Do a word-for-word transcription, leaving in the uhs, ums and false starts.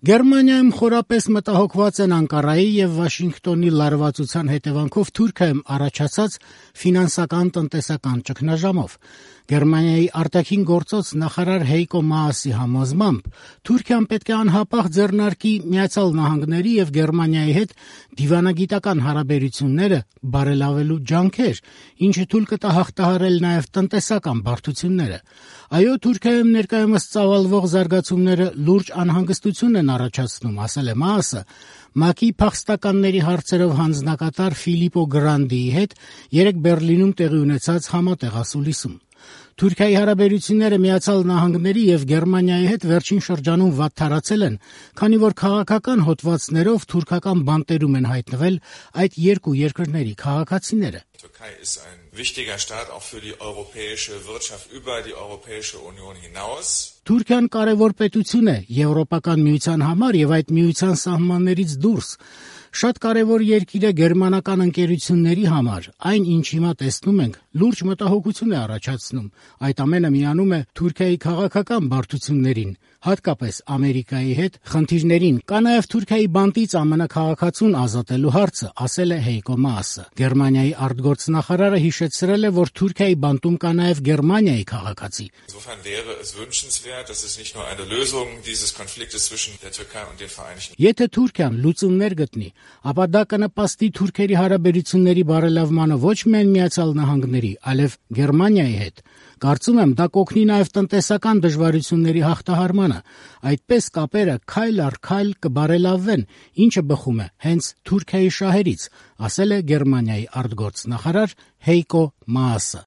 Գերմանիայում խորապես մտահոգված են Անկարայի եւ Վաշինգտոնի լարվածության հետևանքով Թուրքիայում առաջացած ֆինանսական տնտեսական ճգնաժամով։ Գերմանիայի արտաքին գործոց նախարար Հեյկո Մաասի համոզմամբ Թուրքիան պետք է անհապաղ ձեռնարկի Միացյալ Նահանգների եւ Գերմանիայի հետ դիվանագիտական հարաբերությունները բարելավելու ջանքեր, ինչը թույլ կտա հաղթահարել նաեւ տնտեսական բարդությունները։ Այո, Թուրքիայում ներկայումս ծավալվող զարգացումները լուրջ անհանգստություն են առաջացնում, ասել է Մաասը, ՄԱԿ-ի փախստականների հարցերով հանձնակատար Ֆիլիպպո Գրանդիի հետ երեկ Բեռլինում տեղի ունեցած համատեղ ասուլիսում։ Թուրքիայի հարաբերությունները Միացյալ Նահանգների եւ Գերմանիայի հետ վերջին շրջանում վատթարացել են, քանի որ քաղաքական հոդվածներով թուրքական բանտերում են հայտնվել այդ երկու երկրների քաղաքացիները։ Türkei ist ein wichtiger Staat auch für die europäische Wirtschaft über die Europäische Union hinaus. Թուրքիան կարևոր պետություն է Եվրոպական միության համար եւ այդ միության սահմաններից դուրս։ Շատ կարևոր երկիր է գերմանական ընկերությունների համար։ Այն, ինչ հիմա տեսնում ենք, լուրջ մտահոգություն է առաջացնում։ Այդ ամենը միանում է Թուրքիայի քաղաքական բարդություններին, հատկապես Ամերիկայի հետ խնդիրներին։ Կա նաև Թուրքիայի բանտից ԱՄՆ քաղաքացուն ազատելու հարցը, ասել է Հեյկո Մաասը։ Գերմանիայի արտգործնախարարը հիշեցրել է, որ Թուրքիայի բանտում կա նաև Գերմանիայի քաղաքացի։ Insofern wäre es wünschenswert, dass es nicht nur eine Lösung dieses Konfliktes zwischen der Türkei und den Vereinigten Եթե Թուրքիան լուծումներ գտնի, ապա դա կնպաստի Թուրքերի հարաբերությունների բարելավմանը ոչ միայն Միացյալ Նահանգների, այլև Գերմանիայի հետ։ Կարծում եմ, դա կօգնի նաև տնտեսական դժվարությունների հաղթահարմանը։ Այդպես կապերը քայլ առ քայլ կբարելավվեն, ինչը բխում է հենց Թուրքիայի շահերից, ասել է Գերմանիայի արտգործնախարար Հեյկո Մաասը։